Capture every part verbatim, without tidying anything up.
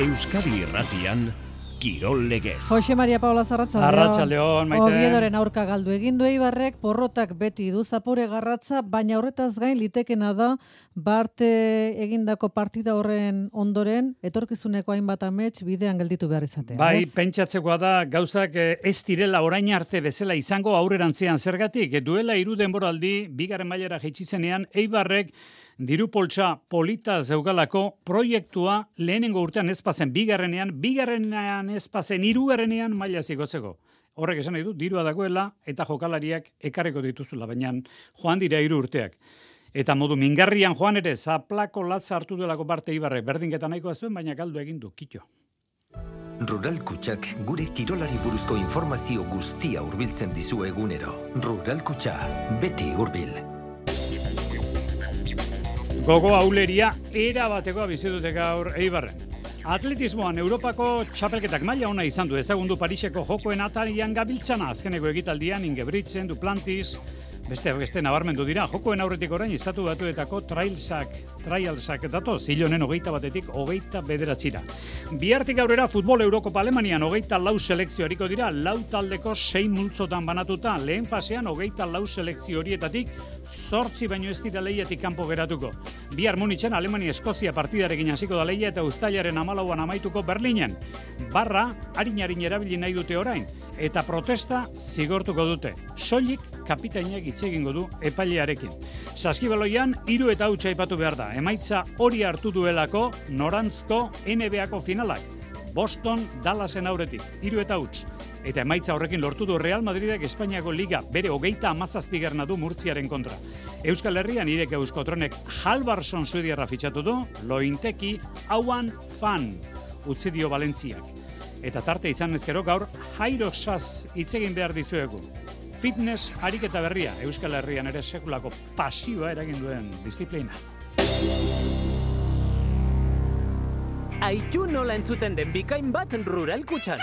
Euskadi Irratian, Kirol Legez. Jose Maria Paula Arratsaldeon. Arratsaldeon, Maite. Oviedoren aurka galdu egin du Eibarrek, porrotak beti du zapore garratza, baina horretaz gain litekena da Bart egindako partida horren ondoren etorkizuneko hainbat amets bidean gelditu behar izatea. Bai, ez? pentsatzekoa da gauzak ez direla orain arte bezala izango aurrerantzean zergatik. Duela hiru denboraldi bigarren mailara jaitsi zenean Eibarrek diru poltsa polita zeugalako proiektua lehenengo urtean ez pazen bigarrenean, bigarrenean ez pazen hirugarrenean maila zigotzeko. Horrek esan nahi du, dirua dagoela eta jokalariak ekarreko dituzula, baina joan dira hiru urteak. Eta modu mingarrian joan ere, zaplako latza hartu duelako parte Eibarrek, berdinketa nahikoa zuen, baina galdu egin du, kitxo. Rural Kutxak gure kirolari buruzko informazio guztia hurbiltzen dizu egunero. Rural Kutxa, beti hurbil. Gogo auleria era batekoa bizi dute gaur Eibarren. Atletismoan Europako txapelketak maila ona izan du ezagundu Pariseko jokoen atarian gabiltzana azkeneko ekitaldian Ingebrigtsen, Duplantis, beste beste nabarmendu dira. Jokoen aurretik orain estatu batuetako trailsak, trialsak datoz, hilonen hogeita batetik hogeita bederatzira. Bihartik aurrera futbol Eurokopa Alemanian hogeita lau selekzio hariko dira, lau taldeko sei multzotan banatuta, lehen fasean hogeita lau selekzio horietatik zortzi baino ez dira lehiatik kanpo geratuko. Bihar Munitzen Alemania-Eskozia partidarekin hasiko da lehia eta uztailaren hamalauan amaituko Berlinen. Barra, harin-harin erabili nahi dute orain, eta protesta zigortuko dute. Soilik kapitainak hitz egingo du epailearekin. Saskibaloian hiru eta huts aipatu behar da. Emaitza hori hartu duelako norantzko N B A-ko finalak. Boston Dallasen aurretik, hiru eta huts. Eta emaitza horrekin lortu du Real Madridek Espainiako Liga bere hogeita hamazazpigarrena du Murtziaren kontra. Euskal Herrian irek Euskotronek Halbarsson suediarra fitxatu du, Lointeki hauan fan utzi dio Valentziak. Eta tarte izan ezkero gaur Jairoxaz hitz egin behar dizuegu. Fitness ariketa berria, Euskal Herrian ere sekulako pasioa eragin duen disiplina. Aitu nola entzuten den bikain bat Rural Kutxan.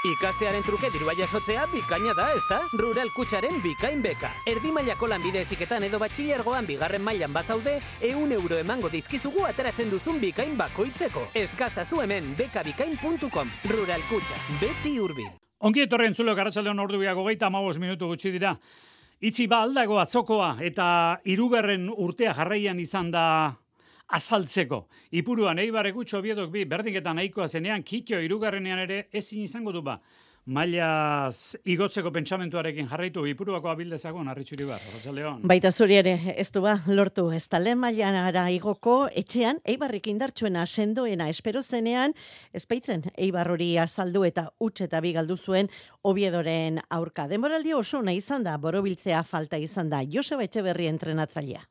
Ikastearen truke dirua jasotzea bikaina da, ezta? Rural Kutxaren bikain beka. Erdi mailako lanbide heziketan edo batxilergoan bigarren mailan bazaude, ehun euro emango dizkizugu ateratzen duzun bikain bakoitzeko. Eskazazu hemen bekabikain puntu com. Rural Kutxa, beti hurbil. Ongi etorri entzuleo Arratsaldeon ordubiak hogeita hamabost minutu gutxi dira. Itzi ba aldago atzokoa eta hirugarren urtea jarraian izan da azaltzeko. Ipuruan Eibarrek gutxo Oviedok bi berdinketan nahikoa zenean, kitxo hirugarrenean ere ezin izango du ba. Mailaz igotzeko pentsamentuarekin jarraitu Ipuruako abildezagon Arritxuri bar, Arratsaldeon. Baita zuri ere, ez du ba, lortu ez da lehen mailara igoko etxean, Eibarrik indartsuena sendoena espero zenean, ezpaitzen Eibar hori azaldu eta huts eta bi galdu zuen Oviedoren aurka. Denboraldi oso ona izan da, borobiltzea falta izan da, Joseba Etxeberri entrenatzailea.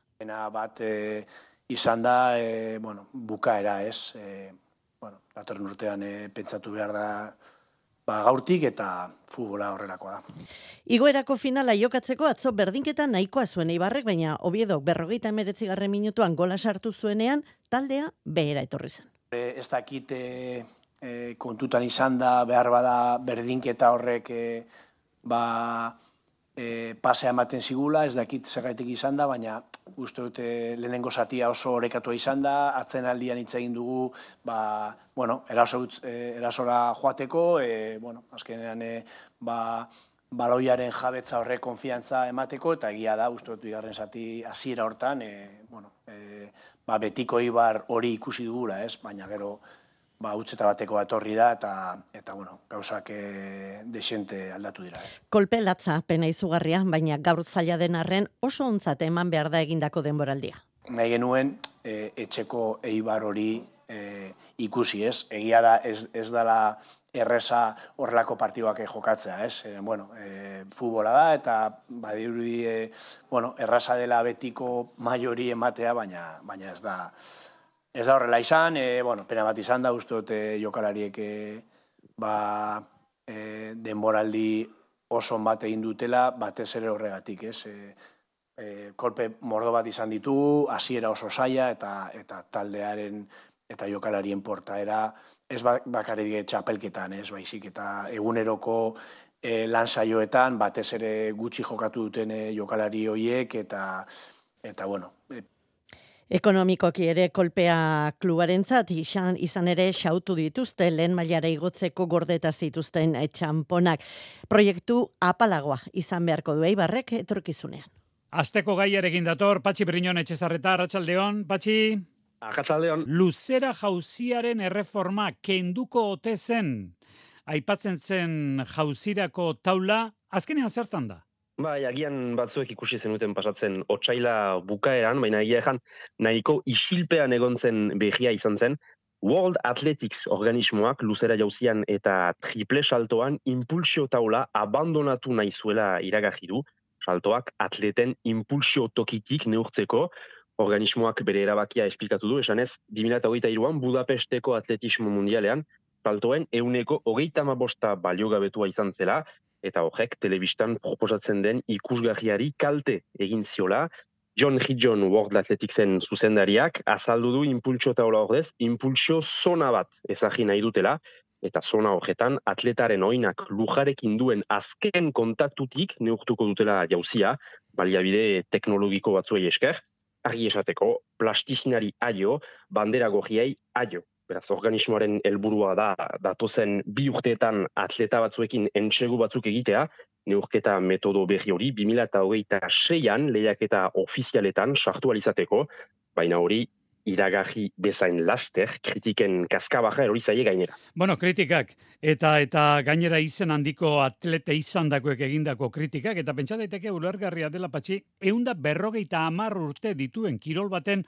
Bat e, izan da, e, bueno, bukaera ez, e, bueno, datorren urtean e, pentsatu behar da, ba, gaurtik eta futbola horrelakoa da. Igoerako finala jokatzeko atzo berdinketa nahikoa zuen Eibarrek, baina Oviedok berrogeita hemeretzigarren minutuan gola sartu zuenean, taldea behera etorri zen. E, ez dakit e, e, kontutan izan da, behar bada berdinketa horrek e, ba, e, pasea ematen zigula, ez dakit zergaitik izan da, baina uste dute lehenengo zatia oso orekatua izan da, atzen aldian hitz egin dugu, ba, bueno, eraso, e, erasora joateko, e, bueno, azkenean, e, ba, baloiaren jabetza horrek konfiantza emateko, eta egia da, uste dut bigarren zati hasiera hortan, e, bueno, e, ba, betiko Eibar hori ikusi dugula, ez, baina gero, ba, utzeta bateko etorri da, eta, eta bueno, gauzak e, desente aldatu dira. Eh. Kolpe latza pena izugarria, baina gaur zaila den arren oso ontzat eman behar da egindako denboraldia. Nahi genuen, e, etxeko Eibar hori e, ikusi, ez? Egia da, ez, ez dela erresa horrelako partiduak jokatzea, ez? E, bueno, e, futbola da, eta badirudi, e, bueno, errasa dela betiko maiori ematea, baina, baina ez da... Ez da horrela izan, e, bueno, pena bat izan da, uste dute jokalariek e, ba, e, denboraldi oso bat egin dutela, batez ere horregatik, ez? E, e, kolpe mordo bat izan ditugu, hasiera oso zaila, eta, eta taldearen eta jokalarien portaera, ez bakarrik txapelketan, ez baizik, eta eguneroko e, lan saioetan, batez ere gutxi jokatu duten e, jokalari horiek, eta, eta bueno, e, Ekonomikoki ere kolpea klubarentzat izan, izan ere xautu dituzte lehen mailara igotzeko gordeta zituzten txamponak. Proiektu apalagoa izan beharko du Eibarrek etorkizunean. Asteko gaiarekin dator, Patxi Briñon Etxezarreta, Arratsaldeon, Patxi. Arratsaldeon. Luzera jauziaren erreforma kenduko ote zen, aipatzen zen jauzirako taula, azkenean zertan da? Bai, agian batzuek ikusi zenuten pasatzen otsaila bukaeran, baina egia ejan nahiko isilpean egon zen behia izan zen, World Athletics organismoak luzera jauzian eta triple saltoan impulsio taula abandonatu nahi zuela iragarri du, saltoak atleten impulsio tokitik neurtzeko, organismoak bere erabakia esplikatu du, esanez, bi mila hogeita hiruan Budapesteko atletismo mundialean, saltoen ehuneko hogeita hamabosta baliogabetua izan zela, eta horrek telebistan proposatzen den ikusgarriari kalte egin ziola. John Hidjon World Athleticsen zuzendariak azaldu du impulsio taula ordez, impulsio zona bat ezagri nahi dutela, eta zona horretan atletaren oinak lujarekin duen azken kontaktutik neurtuko dutela jauzia, baliabide teknologiko batzuei esker, argi esateko plastizinari aio, bandera gorriei aio. Beraz, organismoaren helburua da datozen bi urteetan atleta batzuekin entsegu batzuk egitea, neurketa metodo berri hori bi mila hogeita seian lehiaketa ofizialetan sartu alizateko, baina hori iragarri bezain laster, kritiken kaskabaja erori zaie gainera. Bueno, kritikak, eta eta gainera izen handiko atlete izandakoek egindako kritikak, eta pentsa daiteke ulergarria dela Patxi, ehunda berrogeita hamar urte dituen kirol baten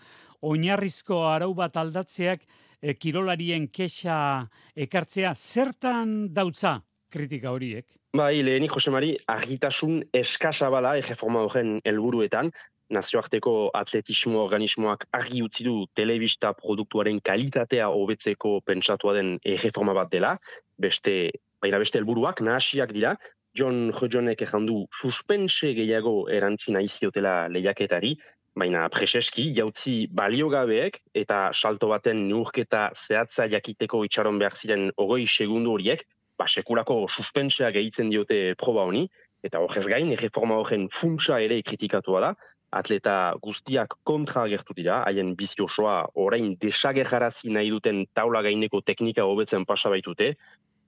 oinarrizko arau bat aldatzeak e, kirolarien kexa ekartzea, zertan dautza kritika horiek? Bai, lehenik Jose Mari, argitasun eskasa bala erreforma horren helburuetan, nazioarteko atletismo organismoak argi utzi du telebista produktuaren kalitatea hobetzeko pentsatua den erreforma bat dela, beste, baina beste helburuak nahasiak dira, John Hidjonek ejandu suspense gehiago erantzi nahi ziotela lehiaketari, baina preseski jautzi baliogabeek eta salto baten neurketa zehatza jakiteko itxaron behar ziren hogei segundu horiek, ba, sekulako suspensea gehitzen diote proba honi, eta horrez gain, erreforma horren funtsa ere kritikatua da, atleta guztiak kontra agertu dira, haien bizi osoa orain desagerrarazi nahi duten taula gaineko teknika hobetzen pasa baitute,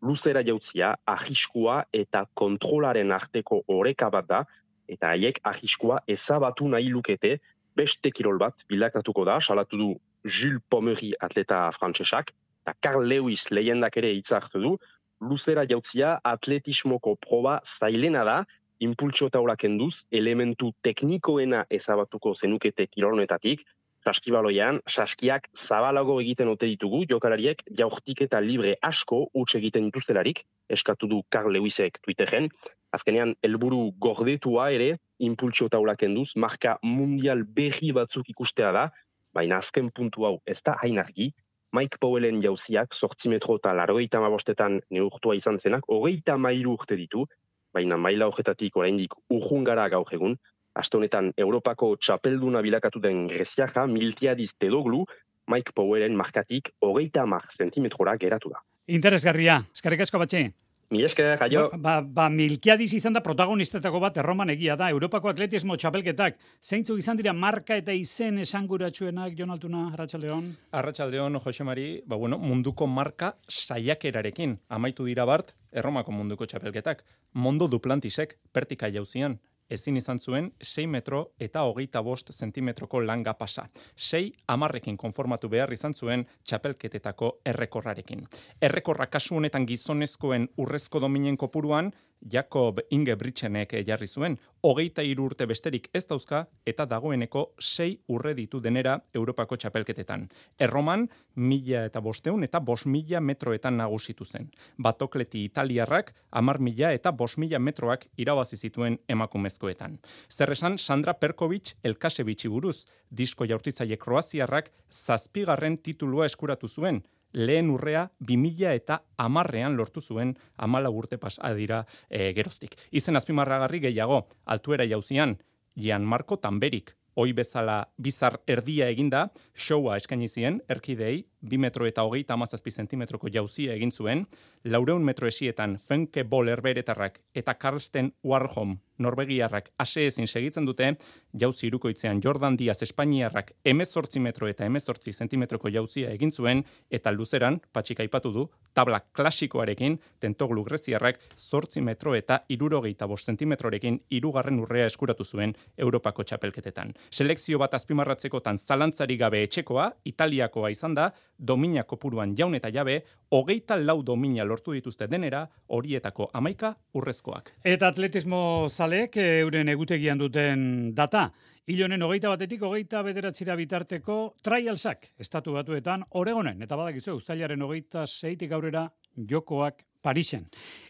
luzera jautzia, ahiskua eta kontrolaren arteko oreka bat da, eta haiek ahiskua ezabatu nahi lukete, beste kirol bat bilakatuko da, salatu du Jules Pommery atleta frantsesak, eta Carl Lewis lehendak ere hitzartu du, luzera jautzia atletismoko proba zailena da, impultsio taula kenduz, elementu teknikoena ezabatuko zenukete kirolonetatik, saskibaloian, saskiak zabalago egiten ote ditugu, jokalariek jaurtik eta libre asko huts egiten dituztelarik, eskatu du Carl Lewisek Twitteren, azkenean helburu gordetua ere, impultsio taula kenduz, marka mundial berri batzuk ikustea da, baina azken puntu hau ez da hain argi, Mike Powellen jauziak zortzi metro eta laurogeita hamabostetan neurtua izan zenak, hogeita hamairu urte ditu, baina maila horretatik oraindik urrun gara gaur egun, aste honetan Europako txapelduna bilakatu den Greziarra Miltiadis Tedoglu, Mike Powellen markatik hogeita hamar zentimetrora geratu da. Interesgarria, eskerrik asko Patxi. Mi esker, jaio. Ba, ba, Miltiadis izan da protagonistetako bat erroman egia da, Europako atletismo txapelketak. Zeintzuk izan dira marka eta izen esanguratsuenak, Jon Altuna, Arratsaldeon? Arratsaldeon, Jose Mari, ba, bueno, munduko marka saiakerarekin. Amaitu dira bart, Erromako munduko txapelketak. Mondo Duplantisek, pertika jauzian. Ezin izan zuen sei metro eta hogeita bost zentimetroko langa pasa. Sei amarrekin konformatu behar izan zuen txapelketetako errekorrarekin. Errekorra kasu honetan gizonezkoen urrezko dominen kopuruan, Jakob Ingebrigtsenek jarri zuen, hogeita hiru urte besterik ez dauzka eta dagoeneko sei urre ditu denera Europako txapelketetan. Erroman, mila eta bosteun eta bost mila metroetan nagusitu zen. Batokleti italiarrak, amar mila eta bost mila metroak irabazi zituen emakumezkoetan. Zer esan Sandra Perkovic Elkasevic'i buruz, disko jaurtitzaile kroaziarrak zazpigarren titulua eskuratu zuen, lehen urrea bi mila eta hamarrean lortu zuen hamalau urte pasa dira e, geroztik. Izen azpimarragarri gehiago, altuera jauzian, Gianmarco Tamberik, hoi bezala bizar erdia eginda, showa eskaini zien erkidei bi metro eta hogeita hamazazpi zentimetroko jauzia egin zuen, laureun metro esietan Fenke Bol herberetarrak eta Karsten Warholm Norvegiarrak ase ezin segitzen dute, jauzi irukoitzean Jordan Diaz Espainiarrak emezortzi metro eta emezortzi zentimetroko jauzia egin zuen, eta luzeran, patxik aipatu du, tabla klasikoarekin, Tentoglu greziarrak zortzi metro eta irurogeita bost zentimetrorekin hirugarren urrea eskuratu zuen Europako txapelketetan. Selekzio bat azpimarratzekotan zalantzari gabe etxekoa, Italiakoa izan da, domina kopuruan jaun eta jabe, hogeita lau domina lortu dituzte denera, horietako hamaika urrezkoak. Eta atletismo zaleek euren egutegian duten data. Hil honen hogeita batetik hogeita bederatzira bitarteko trialsak estatu batuetan Oregonen, eta badakizu uztailaren hogeita seitik aurrera jokoak Parisen.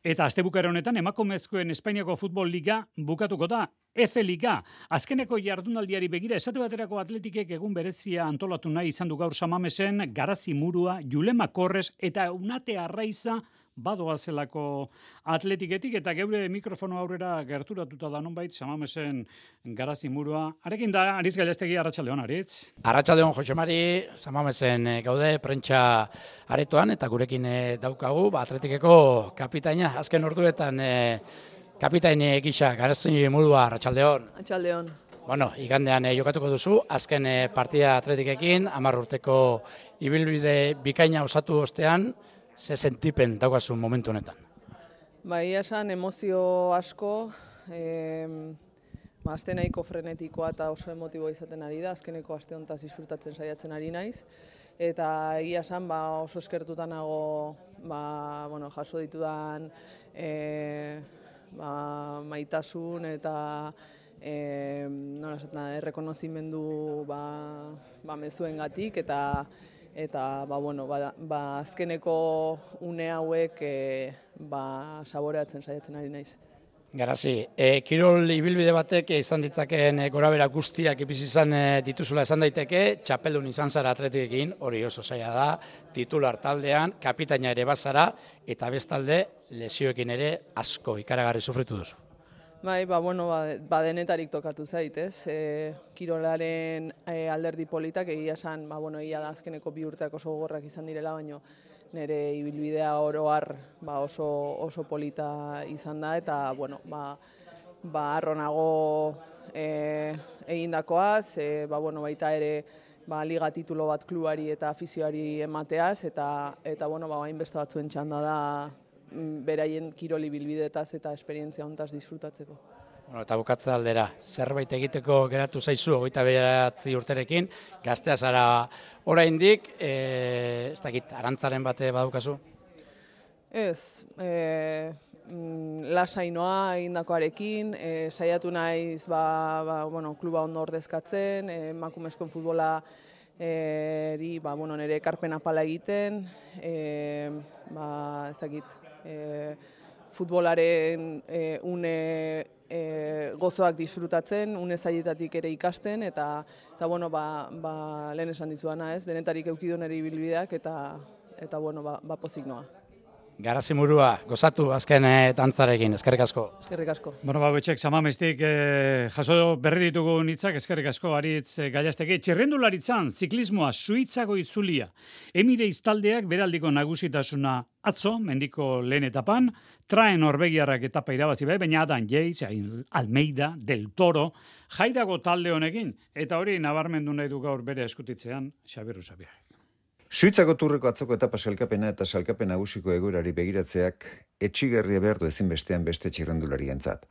Eta astebukara honetan emakumezkoen Espainiako futbol liga bukatuko da. F Liga, azkeneko jardunaldiari begira esate baterako atletikek egun berezia antolatu nahi izan du gaur Samamesen, Garazi Murua, Julema Korres eta Unate Arraiza badoazelako atletiketik, eta geure mikrofono aurrera gerturatuta da nonbait Samamesen Garazi Murua. Arekin da, Aritz Galestegi, arratsaldeon, Aritz. Arratsaldeon, Jose Mari, Samamesen gaude prentsa aretoan, eta gurekin daukagu, ba, atletikeko kapitaina, azken orduetan kapitain gisa, Garazi Murua, arratsaldeon. Arratsaldeon. Bueno, igandean eh, jokatuko duzu, azken eh, partida atletikekin, hamar urteko ibilbide bikaina osatu ostean, ze sentipen daukazu momentu honetan? Ba, ia esan emozio asko, e, ba, azte nahiko frenetikoa eta oso emotibo izaten ari da, azkeneko aste hontaz disfrutatzen saiatzen ari naiz. Eta egia esan ba, oso eskertuta nago ba, bueno, jaso ditudan e, ba, maitasun eta e, nola esaten, errekonozimendu ba, ba, mezuengatik, eta eta ba, bueno, ba, ba, azkeneko une hauek e, ba, saboreatzen saiatzen ari naiz. Garazi, e, kirol ibilbide batek izan ditzakeen e, gorabera guztiak ipisi izan e, dituzula esan daiteke, txapeldun izan zara atletikekin, hori oso zaila da, titular taldean, kapitaina ere bazara, eta bestalde lesioekin ere asko ikaragarri sufritu duzu. Bai, ba, bueno, ba, ba denetarik tokatu zait, ez? E, kirolaren e, alderdi politak egia esan, ba, bueno, egia da azkeneko bi urteak oso gogorrak izan direla, baino nire ibilbidea oro har ba, oso, oso polita izan da, eta, bueno, ba, ba arronago e, egindakoaz, e, ba, bueno, baita ere ba, liga titulo bat klubari eta afizioari emateaz, eta, eta bueno, ba, hainbeste batzuen txanda da, beraien kiroli bilbidetaz eta esperientzia hontaz disfrutatzeko. Bueno, eta bukatza aldera, zerbait egiteko geratu zaizu, hogeita bederatzi urterekin, gaztea zara oraindik, e, ez dakit, arantzaren bate badukazu? Ez, e, lasainoa egindakoarekin, e, saiatu naiz ba, ba, bueno, kluba ondo ordezkatzen, emakumezkoen futbola eri, ba, bueno, nire ekarpen apala egiten, e, ba, ez dakit, E, futbolaren e, une e, gozoak disfrutatzen, une zailetatik ere ikasten, eta, eta bueno, ba, ba, lehen esan dizuana, ez, denetarik eukidu nire ibilbideak, eta, eta bueno, ba, ba pozik noa. Garazi Murua, gozatu azken eh, dantzarekin, eskerrik asko. Eskerrik asko. Bueno, ba, betxek, Samamestik eh, jaso berri ditugu nitzak, eskerrik asko, Aritz eh, Galastegi. Txirrendularitzan, ziklismoa, Suitzako itzulia. Emire iztaldeak beraldiko nagusitasuna atzo, mendiko lehen etapan, traen Norvegiarrak etapa irabazi bai, baina Adam Yates, Almeida, Del Toro, jaidago talde honekin, eta hori nabarmendu nahi du gaur bere eskutitzean, Xabier Usabiak. Suitzako turreko atzoko etapa salkapena eta salkapen nagusiko egoerari begiratzeak etxigarria behar du ezinbestean beste txirrendularientzat.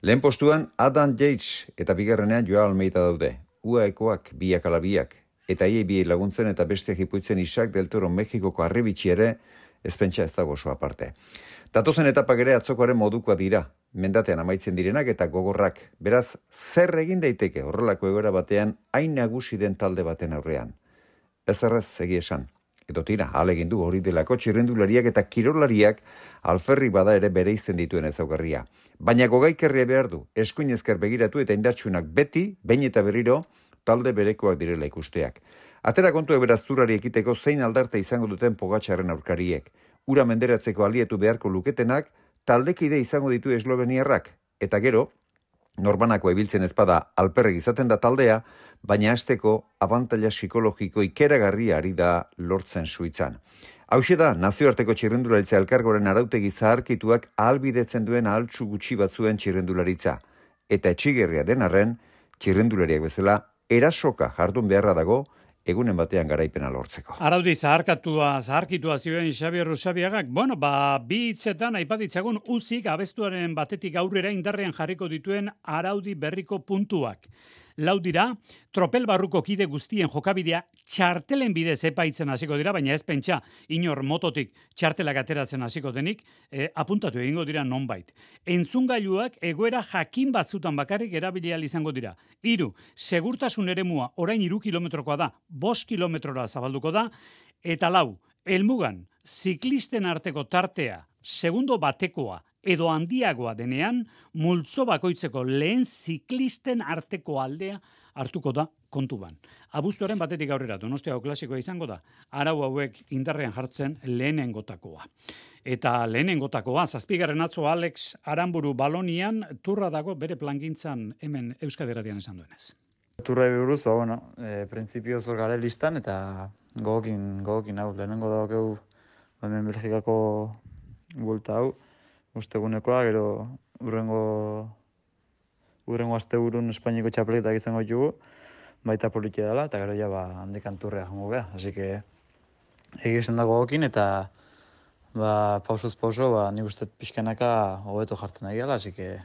Lehen postuan Adam Yates eta bigarrenean Joao Almeida daude. U A Ekoak biak ala biak eta iei biei laguntzen eta besteak ipuitzen Isaac Del Toro Mexikoko arribitxi ere ez pentsa ez dago oso aparte. Datozen etapak ere atzokoaren modukoa dira, mendatean amaitzen direnak eta gogorrak. Beraz, zer egin daiteke horrelako egoera batean hain nagusi den talde baten aurrean? Ez erraz egi esan. Edo tira, alegin du hori delako txirrendulariak eta kirolariak alferri bada ere bere izten dituen ezaugarria. Baina gogaikerria behar du, eskuin ezker begiratu eta indartsunak beti, behin eta berriro, talde berekoak direla ikusteak. Atera kontu eberazturari ekiteko zein aldarte izango duten Pogačarren aurkariek. Ura menderatzeko alietu beharko luketenak, taldekide izango ditu esloveniarrak. Eta gero, Norbanako ebiltzen ezpada alperrek izaten da taldea, baina hasteko abantaila psikologiko ikeragarria ari da lortzen Suitzan. Hauxe da, nazioarteko txirrendularitza elkargoren arautegi zaharkituak ahalbidetzen duen ahaltsu gutxi batzuen txirrendularitza. Eta etxigerria den arren, txirrendulariak bezala, erasoka jardun beharra dago, egunen batean garaipena lortzeko. Araudi zaharkatua, zaharkitua zioen Xabier Rusabiagak, bueno, ba, bi hitzetan aipatitzagun uzik abestuaren batetik aurrera indarrean jarriko dituen araudi berriko puntuak. Lau dira, tropel barruko kide guztien jokabidea txartelen bidez epaitzen hasiko dira, baina ez pentsa inor mototik txartelak ateratzen hasiko denik, e, apuntatu egingo dira nonbait. Entzungailuak egoera jakin batzutan bakarrik erabili ahal izango dira. Hiru, segurtasun eremua orain hiru kilometrokoa da, bost kilometrora zabalduko da, eta lau, helmugan ziklisten arteko tartea, segundo batekoa, edo handiagoa denean, multzo bakoitzeko lehen ziklisten arteko aldea hartuko da kontuban. Abuztuaren batetik aurrera, Donostiako klasikoa izango da, arau hauek indarrean jartzen lehenengotakoa. Eta lehenengotakoa, zazpigarren atzo Alex Aramburu Balonian, turra dago bere plangintzan hemen Euskadi Irratian esan duenez. Turra buruz, ba, bueno, e, printzipio zor gare listan, eta gogokin, gogokin hau, lehenengo daukeu, hemen Belgikako bulta hau, ustegunekoa, gero urrengo urrengo asteburun Espainiako txapelketak izango ditugu, baita politia dela, eta gero ja ba handikan turrea jongo gea. Así que egiten dago gokin eta ba pausoz pauso ba nik uste pixkanaka hobeto jartzen ari gela, así que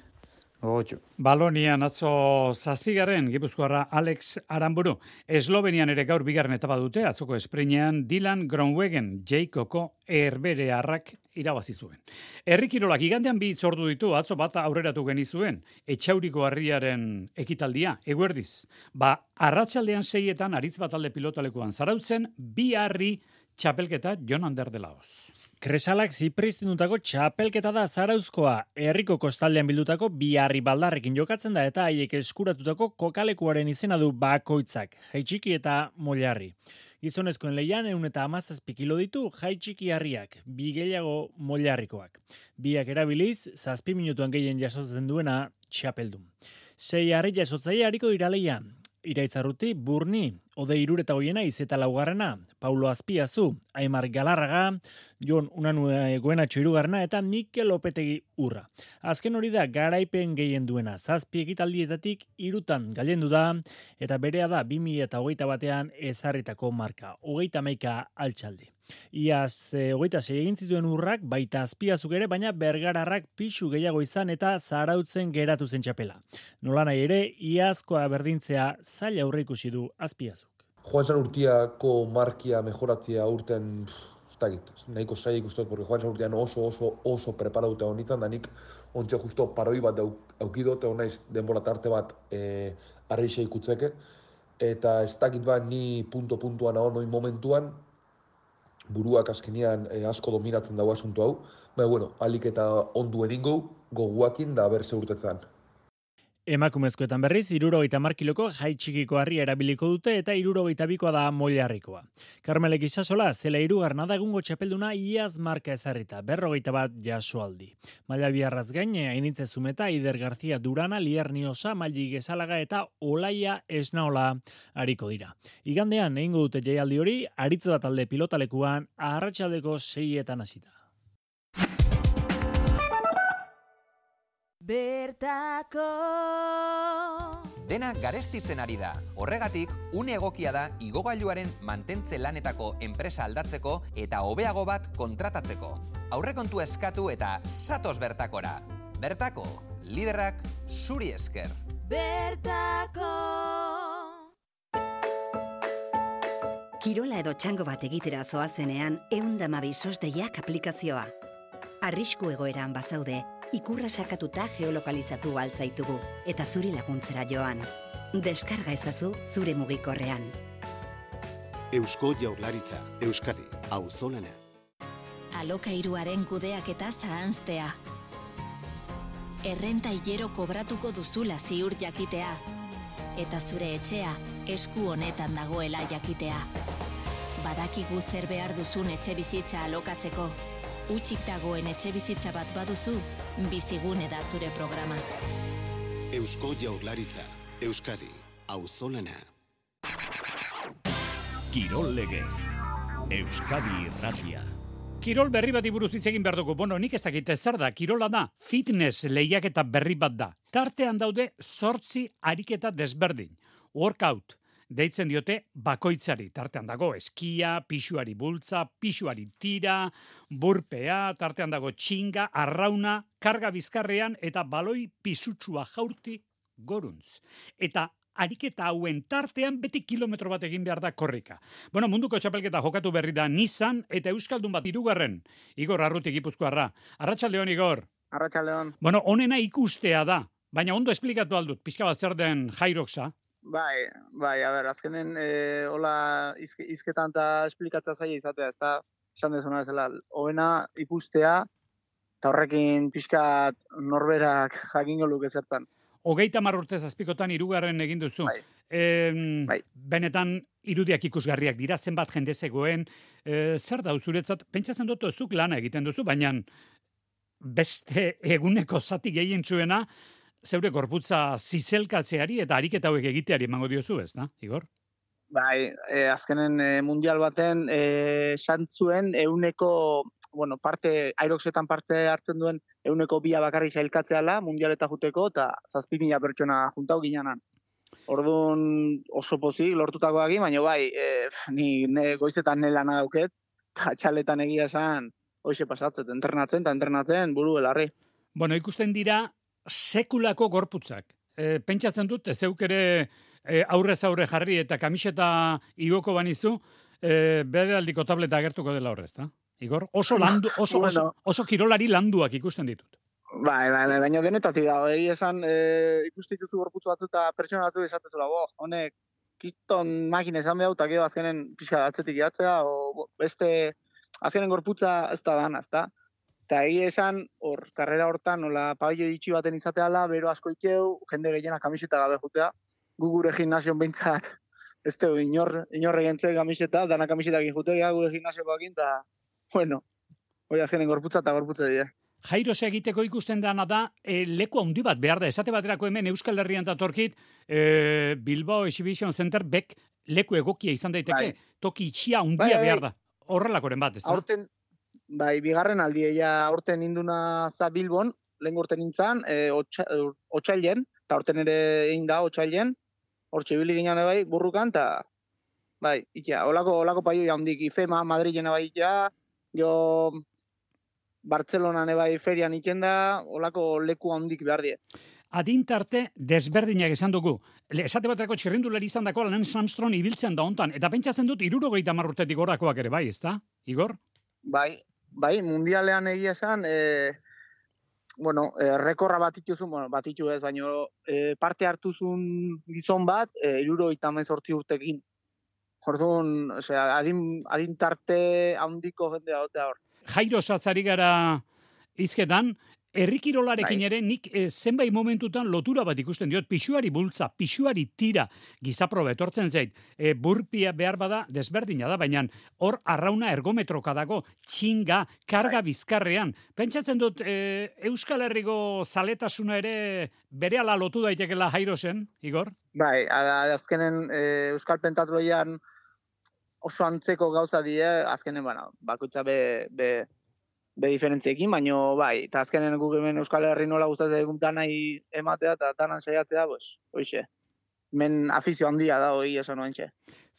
gogotxu. Balonian atzo zazpigarren Gipuzkoarra Alex Aramburu. Eslovenian ere gaur bigarren etapa dute, atzoko esprinean Dylan Groenewegen Jacoko erberearrak irabazi zuen. Herri kirolak igandean bi hitzordu ditu, atzo bat aurreratu genizuen, Etxauriko harriaren ekitaldia, eguerdiz. Ba, arratsaldean seietan aritz bat alde pilotalekuan zarautzen, bi harri txapelketa Jon Ander de Laoz. Kresalak zipristinutako txapelketa da Zarauzkoa, herriko kostaldean bildutako bi harri baldarrekin jokatzen da eta haiek eskuratutako kokalekuaren izena du bakoitzak, jaitxiki eta molarri. Gizonezkoen leian ehun eta hamazazpi kilo ditu jaitxiki harriak, bi gehiago molarrikoak. Biak erabiliz, zazpi minutuan gehien jasotzen duena txapeldun. Sei harri jasotzaile hariko dira leian. Iraitzarruti, Burni, Ode Irureta Goiena izeta laugarrena, Paulo Azpiazu, Aimar Galarraga, Jon Unanue Goenatxo hirugarrena eta Mikel Lopetegi urra. Azken hori da garaipen gehien duena, zazpi ekitaldietatik hirutan gailendu da, eta berea da bi mila hogeita batean ezarritako marka, hogeita hamaika altxaldi. Iaz, e, hogeita sei egin zituen urrak, baita Azpiazuk ere, baina Bergararrak pixu gehiago izan eta zarautzen geratu zen txapela. Nola nahi ere, iazkoa berdintzea zaila aurre ikusi du Azpiazuk. Joan San Urtiako markia mejoratzea urten, ez dakit, nahiko zaila ikustot, porque Joan San Urtian oso, oso, oso preparatuta honitzen, da nik ontsa justo paroi bat aukidot, egon naiz denbora tarte bat e, arreixa ikutzeke, eta ez dakit ba, ni punto-puntuan hau noin momentuan, buruak azkenean eh, asko dominatzen dago asunto hau, baina, bueno, alik eta onduen ingo, goguakin da berze urtetzen. Emakumezkoetan berriz, hirurogeita hamar kiloko jaitxikiko harria erabiliko dute eta hirurogeita bikoa da molarrikoa. Karmelek Isasola, zela hirugarrena da egungo txapelduna iaz marka ezarrita, berrogeita bat jasoaldi. Maila biarraz gain, Ainitze Zumeta, Ider Garzia Durana, Lier Niosa, Maili Gesalaga eta Olaia Esnaola hariko dira. Igandean, egingo dute jaialdi hori, aritz bat alde pilotalekuan, arratsaldeko seietan hasita. Bertako Dena garestitzen ari da. Horregatik, une egokia da igogailuaren mantentze lanetako enpresa aldatzeko eta hobeago bat kontratatzeko. Aurrekontu eskatu eta zatoz bertakora. Bertako, liderrak zuri esker. Bertako Kirola edo txango bat egitera zoazenean, ehun eta hamabi sosdeiak aplikazioa. Arrisku egoeran bazaude, ikurra sakatuta geolokalizatu altzaitugu eta zuri laguntzera joan. Deskarga ezazu zure mugikorrean. Eusko Jaurlaritza, Euskadi, auzolana. Alokairuaren kudeaketa zahanztea. Errenta hilero kobratuko duzula ziur jakitea. Eta zure etxea esku honetan dagoela jakitea. Badakigu zer behar duzun etxe bizitza alokatzeko. Utzik dagoen etxe bizitza bat baduzu, Bizigune da zure programa. Eusko Jaurlaritza, Euskadi, auzolana. Kirol legez, Euskadi irratia. Kirol berri bati buruz hitz egin behar dugu. Bueno, nik ez dakit zer da, kirola da, fitness lehiaketa berri bat da. Tartean daude zortzi ariketa desberdin. Workout, deitzen diote bakoitzari. Tartean dago eskia, pisuari bultza, pisuari tira, burpea, tartean dago txinga, arrauna, karga bizkarrean eta baloi pisutsua jaurti goruntz. Eta ariketa hauen tartean beti kilometro bat egin behar da korrika. Bueno, munduko txapelketa jokatu berri da Nizan eta Euskaldun bat hirugarren. Igor Arruti Gipuzkoarra. Arratsaldeon, Igor. Arratsaldeon. Bueno, honena ikustea da, baina ondo esplikatu aldut, pixka bat zer den Jairoxa. Bai, bai, a ber, azkenen e, hola izke, izketan eta esplikatza zaila izatea, ez da, esan dezuna ezela, hoena ikustea, eta horrekin pixkat norberak jakingo luke zertan. Hogeita hamar urtez azpikotan hirugarren egin duzu. Bai. E, bai. Benetan irudiak ikusgarriak dira, zenbat jende zegoen. E, zer da, zuretzat, pentsatzen dut zuk lana egiten duzu, baina beste eguneko zati gehien txuena, zeure gorputza zizelkatzeari eta ariketa hauek egiteari emango diozu, ez da, Igor? Bai, e, azkenen e, mundial baten e, santzuen euneko, bueno, parte, Airoxetan parte hartzen duen euneko bia bakarri sailkatzeala mundialeta juteko eta zazpi mila pertsona juntau ginenan. Orduan oso pozik lortutakoak, baina bai, e, ni ne, goizetan ne lana dauket, eta txaletan egia esan, hoxe pasatzet, entrenatzen eta entrenatzen buru belarri. Bueno, ikusten dira sekulako gorputzak. E, pentsatzen dut, zeuk ere e, aurrez aurre jarri eta kamiseta igoko banizu, e, bere aldiko tableta agertuko dela horrez, da? Igor, oso, landu, oso, oso, oso kirolari landuak ikusten ditut. Bai, bai, bai, baina denetatik dago, egi esan e, ikusten dituzu gorputzu batzu eta pertsona batzu esatezula, bo, honek, kiston makine esan behau, eta gero azkenen pixka atzetik jatzea, o beste, azkenen gorputza ez da dana, ez da? Eta egi esan, hor, karrera hortan, nola, pabillo itxi baten izateala, bero asko ikeu, jende gehiena kamiseta gabe jutea, gu gure gimnasion behintzat, ez dugu, inor, inor egentze kamiseta, dana kamisetak injutea, gure gimnasiokoakin, eta, bueno, hori azkenen gorputza eta gorputza dira. Jairos egiteko ikusten dana da, e, leku handi bat behar da, esate baterako hemen Euskal Herrian datorkit, e, Bilbao Exhibition Center bek leku egokia izan daiteke, bai. Toki itxia handia bai, bai, behar da, horrelakoren bat, ez da? Aurten, bai, bigarren aldi, ja, aurten induna za Bilbon, lehen urten nintzen, e, otxailen, eta aurten ere egin da otxailen, hortxe bili ginen bai, burrukan, eta, bai, ikia, olako, olako paio handik, Ifema, Madrilen bai, ja, jo, Bartzelonan ebai ferian ikenda, olako leku handik behar die. Adintarte desberdinak esan dugu. Esate baterako txirrindulari izan dako Lance Armstrong ibiltzen da hontan. Eta pentsatzen dut hirurogeita hamar urtetik gorakoak ere bai, ezta? Igor? Bai, bai, mundialean egia esan, e, bueno, e, rekorra bat ituzun, bueno, bat itu ez, baina e, parte hartuzun gizon bat, e, hirurogeita hemezortzi urtekin. Orduan, osea, adin, adintarte handiko jendea dotea hor. Jairo satzari gara hizketan, herrikirolarekin bai. Ere nik e, zenbait momentutan lotura bat ikusten diot, pisuari bultza, pisuari tira, gizaproba etortzen zait, e, burpia behar bada desberdina da, baina hor arrauna ergometroka dago, txinga, karga bai. Bizkarrean. Pentsatzen dut, e, Euskal Herriko zaletasuna ere berehala lotu daitekela Jairosen, Igor? Bai, azkenen e, Euskal Pentatloian oso antzeko gauza die, azkenen, bueno, bakoitza be, be, be diferentziekin, baina bai, eta azkenen guk hemen Euskal Herri nola gustatzen egun danai ematea eta danan saiatzea, pues, hoixe. Men afizio handia da hori esan oantxe.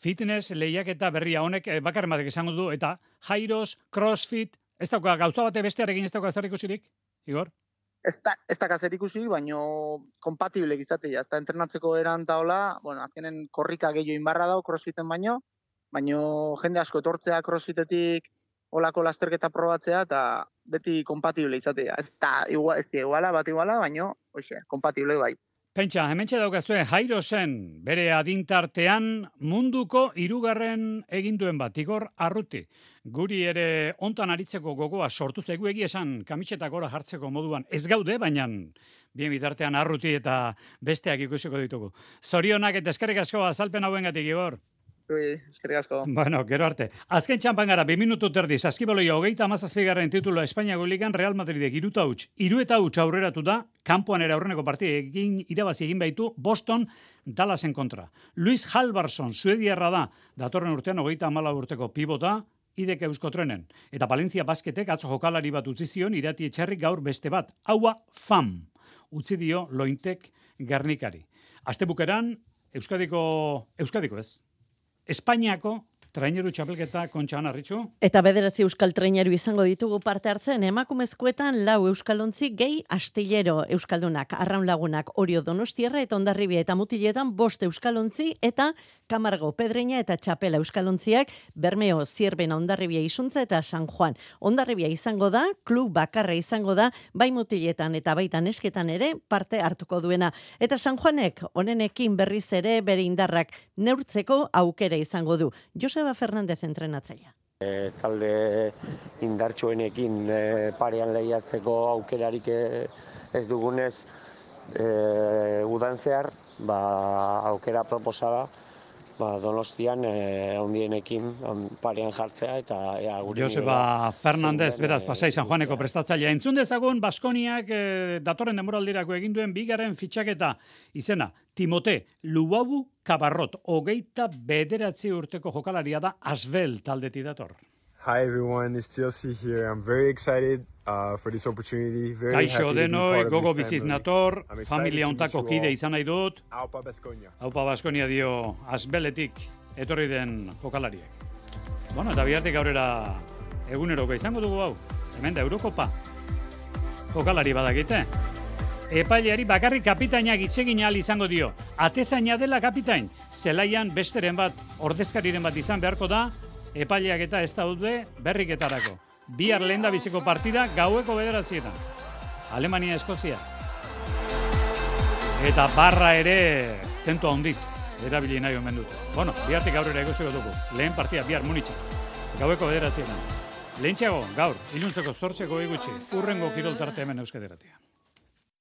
Fitness lehiaketa berria honek bakarren batek esango du, eta Jairos, CrossFit, ez dauka gauza bate bestearekin ez dauka zer ikusirik, Igor? Ez da, ez da zer ikusi, baina kompatible izatea, ez da entrenatzeko eran eta hola, bueno, azkenen korrika gehiago inbarra dau CrossFiten baino, baina jende asko etortzea CrossFitetik olako lasterketa probatzea eta beti kompatible izatea. Ez da, igual, ez da, iguala, bat iguala, baina, oixe, kompatible bai. Pentsa, hementxe daukazue, Jairosen bere adintartean munduko hirugarren eginduen bat, Igor Arruti. Guri ere hontan aritzeko gogoa sortu zaigu egia esan kamisetak gora jartzeko moduan. Ez gaude, baina bien bitartean Arruti eta besteak ikusiko ditugu. Zorionak eta eskerrik asko azalpen hauengatik, Igor. Ui, eskerrik asko. Bueno, gero arte. Azken txampan gara, bi minutu terdi, saskibaloia hogeita amazazpigarren titulua Espainiako ligan Real Madridek iruta huts. Iru eta huts aurreratu da, kanpoan ere aurreneko partida egin irabazi egin baitu Boston Dallasen kontra. Luis Halvarsson, suediarra da, datorren urtean hogeita amala urteko pibota, idek Euskotrenen. Eta Valencia Basketek atzo jokalari bat utzi zion, Irati Etxarrik gaur beste bat. Haua fam, utzi dio Lointek Gernikari. Astebukeran, Euskadiko, Euskadiko ez, Espainiako traineru txapelketa Kontxan Arritxu. Eta bederatzi euskal traineru izango ditugu parte hartzen, emakumezkoetan lau euskalontzi gehi astillero euskaldunak, arraun lagunak, Orio Donostierra eta Hondarribia eta Mutiletan bost euskalontzi eta Kamargo, Pedreña eta Txapela euskalontziak, Bermeo, Zierbena, Hondarribia Isuntza eta San Juan. Hondarribia izango da, klub bakarra izango da, bai Mutiletan eta baita nesketan ere parte hartuko duena. Eta San Juanek honenekin berriz ere bere indarrak neurtzeko aukera izango du. Joseba Fernandez entrenatzailea. E, talde indartsuenekin e, parean lehiatzeko aukerarik ez dugunez e, udan zehar, ba, aukera proposada, ba, Donostian e, ondienekin on, parean jartzea eta ea guri Joseba Fernandez, beraz, Pasai San Juaneko prestatzailea. Entzun dezagun Baskoniak e, datorren denboraldirako egin duen bigarren fitxaketa izena, Timote Luabu Kabarrot, hogeita bederatzi urteko jokalaria da Asbel taldeti dator. Hi everyone, it's T L C here. I'm very excited uh, for this opportunity. Very Kaixo happy to be denoi, part of gogo this biziz family. nator, I'm excited familia to ontako meet you kide all. izan nahi dut. Aupa Baskonia. Aupa Baskonia dio Asbeletik etorri den jokalariek. Bueno, eta bihartik aurrera eguneroko izango dugu hau. Hemen da Eurokopa. Jokalari badakite. Epaileari bakarrik kapitainak itzegin ahal izango dio. Atezaina dela kapitain. Zelaian besteren bat, ordezkariren bat izan beharko da, epaileak eta ez daude berriketarako. Bihar lehen biziko partida gaueko bederatzietan. Alemania, Eskozia. Eta barra ere tentu handiz erabili nahi omen dute. Bueno, bihartik aurrera egosiko dugu. Lehen partida, bihar Munitza. Gaueko bederatzietan. Lehentxeago, gaur, iluntzeko zortzeko egutxe, urrengo kiroltarte hemen Euskadi Irratian.